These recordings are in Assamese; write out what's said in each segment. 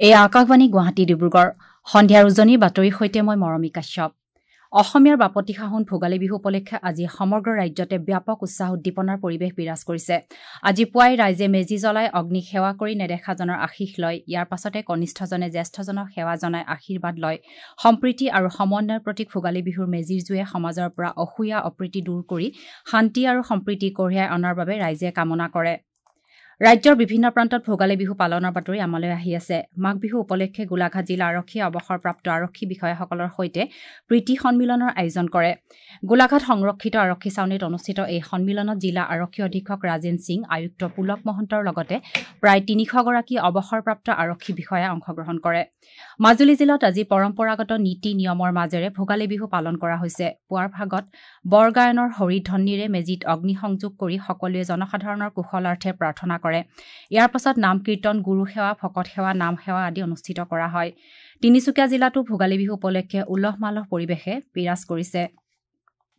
এই আকাশবাণী গুৱাহাটী ডিব্ৰুগড়। সন্ধিয়াৰ উজনিৰ বাতৰিৰ সৈতে মই মৰমী কাশ্যপ। অসমীয়াৰ বাপতি সাহোন ভোগালী বিহু উপলক্ষে আজি সমগ্ৰ ৰাজ্যতে ব্যাপক উৎসাহ উদ্দীপনাৰ পৰিৱেশ বিৰাজ কৰিছে। আজি পুৱাই ৰাইজে মেজি জ্বলাই অগ্নিক সেৱা কৰি নেদেখাজনৰ আশীষ লয়। ইয়াৰ পাছতে কনিষ্ঠজনে জ্যেষ্ঠজনক সেৱা জনাই আশীৰ্বাদ লয়। সম্প্ৰীতি আৰু সমন্বয়ৰ প্ৰতীক ভোগালী বিহুৰ মেজিৰ জুয়ে সমাজৰ পৰা অসূয়া অপ্ৰীতি দূৰ কৰি শান্তি আৰু সম্প্ৰীতি কঢ়িয়াই অনাৰ বাবে ৰাইজে কামনা কৰে। ৰাজ্যৰ বিভিন্ন প্ৰান্তত ভোগালী বিহু পালনৰ বাতৰি আমালৈ আহি আছে। মাঘ বিহু উপলক্ষে গোলাঘাট জিলা আৰক্ষীয়ে অৱসৰপ্ৰাপ্ত আৰক্ষী বিষয়াসকলৰ সৈতে প্ৰীতি সন্মিলনৰ আয়োজন কৰে। গোলাঘাট সংৰক্ষিত আৰক্ষী ছাউনীত অনুষ্ঠিত এই সন্মিলনত জিলা আৰক্ষী অধীক্ষক ৰাজেন সিং, আয়ুক্ত পুলক মহন্তৰ লগতে প্ৰায় ৩০০গৰাকী অৱসৰপ্ৰাপ্ত আৰক্ষী বিষয়াই অংশগ্ৰহণ কৰে। মাজুলী জিলাত আজি পৰম্পৰাগত নীতি নিয়মৰ মাজেৰে ভোগালী বিহু পালন কৰা হৈছে। পুৱাৰ ভাগত বৰগায়নৰ হৰিধ্বনিৰে মেজিত অগ্নিসংযোগ কৰি সকলোৱে জনসাধাৰণৰ কুশলাৰ্থে প্ৰাৰ্থনা কৰে। ইয়াৰ পাছত নাম কীৰ্তন, গুৰু সেৱা, ভকত সেৱা, নাম সেৱা আদি অনুষ্ঠিত কৰা হয়। তিনিচুকীয়া জিলাতো ভোগালী বিহু উপলক্ষে উলহ মালহ পৰিৱেশে বিৰাজ কৰিছে।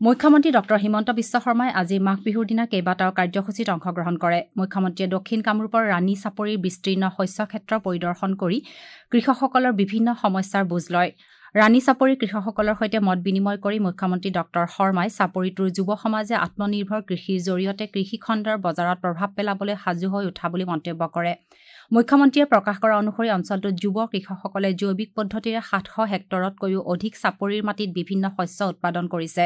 মুখ্যমন্ত্ৰী ডঃ হিমন্ত বিশ্ব শৰ্মাই আজি মাঘ বিহুৰ দিনা কেইবাটাও কাৰ্যসূচীত অংশগ্ৰহণ কৰে। মুখ্যমন্ত্ৰীয়ে দক্ষিণ কামৰূপৰ ৰাণী চাপৰিৰ বিস্তীৰ্ণ শস্য ক্ষেত্ৰ পৰিদৰ্শন কৰি কৃষকসকলৰ বিভিন্ন সমস্যাৰ বুজ লয়। ৰাণী চাপৰিৰ কৃষকসকলৰ সৈতে মত বিনিময় কৰি মুখ্যমন্ত্ৰী ডঃ শৰ্মাই চাপৰিটোৰ যুৱ সমাজে আত্মনিৰ্ভৰ কৃষিৰ জৰিয়তে কৃষিখণ্ডৰ বজাৰত প্ৰভাৱ পেলাবলৈ সাজু হৈ উঠা বুলি মন্তব্য কৰে। মুখ্যমন্ত্ৰীয়ে প্ৰকাশ কৰা অনুসৰি অঞ্চলটোত যুৱ কৃষকসকলে জৈৱিক পদ্ধতিৰে ৭০০ হেক্টৰতকৈও অধিক চাপৰিৰ মাটিত বিভিন্ন শস্য উৎপাদন কৰিছে।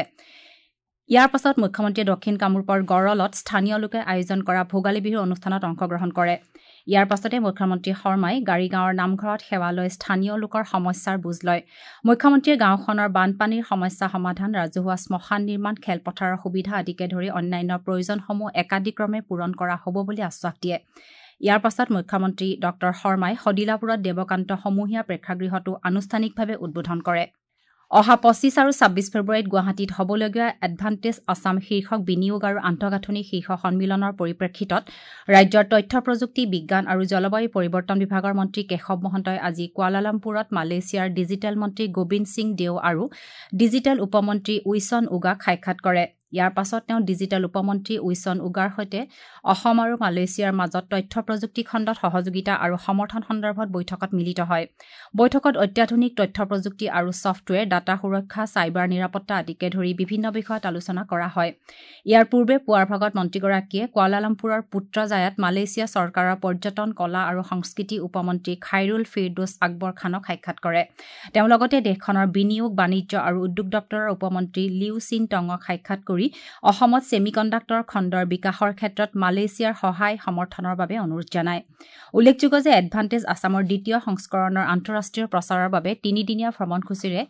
ইয়াৰ পাছত মুখ্যমন্ত্ৰীয়ে দক্ষিণ কামৰূপৰ গড়লত স্থানীয় লোকে আয়োজন কৰা ভোগালী বিহুৰ অনুষ্ঠানত অংশগ্ৰহণ কৰে। ইয়াৰ পাছতে মুখ্যমন্ত্ৰী শৰ্মাই গাড়ীগাঁৱৰ নামঘৰত সেৱা লৈ স্থানীয় লোকৰ সমস্যাৰ বুজ লয়। মুখ্যমন্ত্ৰীয়ে গাঁওখনৰ বানপানীৰ সমস্যা সমাধান, ৰাজহুৱা শ্মশান নিৰ্মাণ, খেলপথাৰৰ সুবিধা আদিকে ধৰি অন্যান্য প্ৰয়োজনসমূহ একাদিক্ৰমে পূৰণ কৰা হ'ব বুলি আশ্বাস দিয়ে। ইয়াৰ পাছত মুখ্যমন্ত্ৰী ডঃ শৰ্মাই সদিলাপুৰত দেৱকান্ত সমূহীয়া প্ৰেক্ষাগৃহটো আনুষ্ঠানিকভাৱে উদ্বোধন কৰে। অহা ২৫ আৰু ২৬ ফেব্ৰুৱাৰীত গুৱাহাটীত হ'বলগীয়া এডভান্টেজ আছাম শীৰ্ষক বিনিয়োগ আৰু আন্তঃগাঁথনি শীৰ্ষ সন্মিলনৰ পৰিপ্ৰেক্ষিতত ৰাজ্যৰ তথ্য প্ৰযুক্তি, বিজ্ঞান আৰু জলবায়ু পৰিৱৰ্তন বিভাগৰ মন্ত্ৰী কেশৱ মহন্তই আজি কুৱালালামপুৰত মালয়েছিয়াৰ ডিজিটেল মন্ত্ৰী গোবিন্দ সিং দেও আৰু ডিজিটেল উপমন্ত্ৰী উইছন উগাক সাক্ষাৎ কৰে। ইয়াৰ পাছত তেওঁ ডিজিটেল উপমন্ত্ৰী উইছন উগাৰ সৈতে অসম আৰু মালয়েছিয়াৰ মাজত তথ্য প্ৰযুক্তি খণ্ডত সহযোগিতা আৰু সমৰ্থন সন্দৰ্ভত বৈঠকত মিলিত হয়। বৈঠকত অত্যাধুনিক তথ্য প্ৰযুক্তি আৰু ছফ্টৱেৰ, ডাটা সুৰক্ষা, চাইবাৰ নিৰাপত্তা আদিকে ধৰি বিভিন্ন বিষয়ত আলোচনা কৰা হয়। ইয়াৰ পূৰ্বে পুৱাৰ ভাগত মন্ত্ৰীগৰাকীয়ে কুৱালালামপুৰৰ পুত্ৰজায়াত মালয়েছিয়া চৰকাৰৰ পৰ্যটন, কলা আৰু সংস্কৃতি উপমন্ত্ৰী খাইৰুল ফিৰদোছ আকবৰ খানক সাক্ষাৎ কৰে। তেওঁ লগতে দেশখনৰ বিনিয়োগ, বাণিজ্য আৰু উদ্যোগ দপ্তৰৰ উপমন্ত্ৰী লিউ চিন টঙক সাক্ষাৎ কৰি অসমত ছেমিকণ্ডাক্টৰ খণ্ডৰ বিকাশৰ ক্ষেত্ৰত মালয়েছিয়াৰ সহায় সমৰ্থনৰ বাবে অনুৰোধ জনায়। উল্লেখযোগ্য যে এডভান্টেজ আছামৰ দ্বিতীয় সংস্কৰণৰ আন্তঃৰাষ্ট্ৰীয় প্ৰচাৰৰ বাবে তিনিদিনীয়া ভ্ৰমণসূচীৰে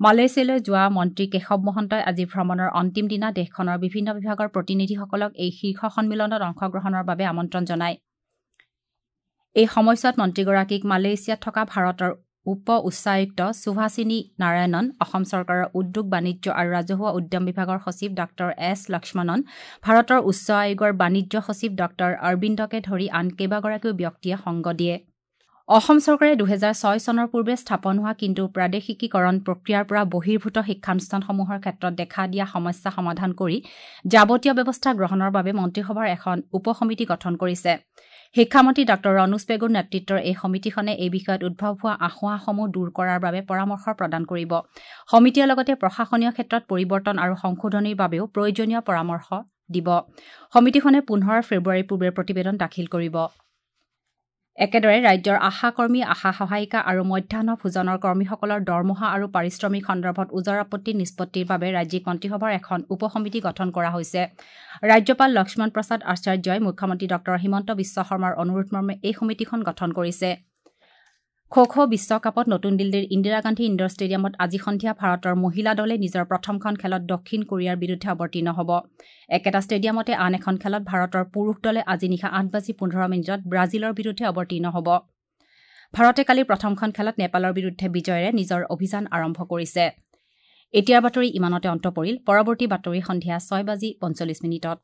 মালয়েছিয়ালৈ যোৱা মন্ত্ৰী কেশৱ মহন্তই আজি ভ্ৰমণৰ অন্তিম দিনা দেশখনৰ বিভিন্ন বিভাগৰ প্ৰতিনিধিসকলক এই শীৰ্ষ সন্মিলনত অংশগ্ৰহণৰ বাবে আমন্ত্ৰণ জনায়। এই সময়ছোৱাত মন্ত্ৰীগৰাকীক মালয়েছিয়াত থকা ভাৰতৰ উপ উচ্চায়ুক্ত সুভাষিনী নাৰায়ণন, অসম চৰকাৰৰ উদ্যোগ, বাণিজ্য আৰু ৰাজহুৱা উদ্যম বিভাগৰ সচিব ডাঃ এছ লক্ষ্মণন, ভাৰতৰ উচ্চ আয়োগৰ বাণিজ্য সচিব ডাঃ অৰবিন্দকে ধৰি আন কেইবাগৰাকীও ব্যক্তিয়ে সংগ দিয়ে। অসম চৰকাৰে ২০০৬ চনৰ পূৰ্বে স্থাপন হোৱা কিন্তু প্ৰাদেশিকীকৰণ প্ৰক্ৰিয়াৰ পৰা বহিৰ্ভূত শিক্ষানুষ্ঠানসমূহৰ ক্ষেত্ৰত দেখা দিয়া সমস্যা সমাধান কৰি যাৱতীয় ব্যৱস্থা গ্ৰহণৰ বাবে মন্ত্ৰীসভাৰ এখন উপসমিতি গঠন কৰিছে। শিক্ষামন্ত্ৰী ডাঃ ৰণোজ পেগুৰ নেতৃত্বৰ এই সমিতিখনে এই বিষয়ত উদ্ভৱ হোৱা আসোঁৱাহসমূহ দূৰ কৰাৰ বাবে পৰামৰ্শ প্ৰদান কৰিব। সমিতিয়ে লগতে প্ৰশাসনীয় ক্ষেত্ৰত পৰিৱৰ্তন আৰু সংশোধনীৰ বাবেও প্ৰয়োজনীয় পৰামৰ্শ দিব। সমিতিখনে ১৫ ফেব্ৰুৱাৰীৰ পূৰ্বে প্ৰতিবেদন দাখিল কৰিব। একেদৰে ৰাজ্যৰ আশাকৰ্মী, আশা সহায়িকা আৰু মধ্যাহ্ন ভোজনৰ কৰ্মীসকলৰ দৰমহা আৰু পাৰিশ্ৰমিক সন্দৰ্ভত ওজৰ আপত্তি নিষ্পত্তিৰ বাবে ৰাজ্যিক মন্ত্ৰীসভাৰ এখন উপসমিতি গঠন কৰা হৈছে। ৰাজ্যপাল লক্ষ্মণ প্ৰসাদ আচাৰ্যই মুখ্যমন্ত্ৰী ডঃ হিমন্ত বিশ্ব শৰ্মাৰ অনুৰোধমৰ্মে এই সমিতিখন গঠন কৰিছে। খো খো বিশ্বকাপত নতুন দিল্লীৰ ইন্দিৰা গান্ধী ইণ্ডোৰ ষ্টেডিয়ামত আজি সন্ধিয়া ভাৰতৰ মহিলা দলে নিজৰ প্ৰথমখন খেলত দক্ষিণ কোৰিয়াৰ বিৰুদ্ধে অৱতীৰ্ণ হ'ব। একেটা ষ্টেডিয়ামতে আন এখন খেলত ভাৰতৰ পুৰুষ দলে আজি নিশা ৮:১৫ ব্ৰাজিলৰ বিৰুদ্ধে অৱতীৰ্ণ হ'ব। ভাৰতে কালি প্ৰথমখন খেলত নেপালৰ বিৰুদ্ধে বিজয়েৰে নিজৰ অভিযান আৰম্ভ কৰিছে। এতিয়াৰ বাতৰি ইমানতে অন্ত পৰিল। পৰৱৰ্তী বাতৰি সন্ধিয়া ৬:৪৫।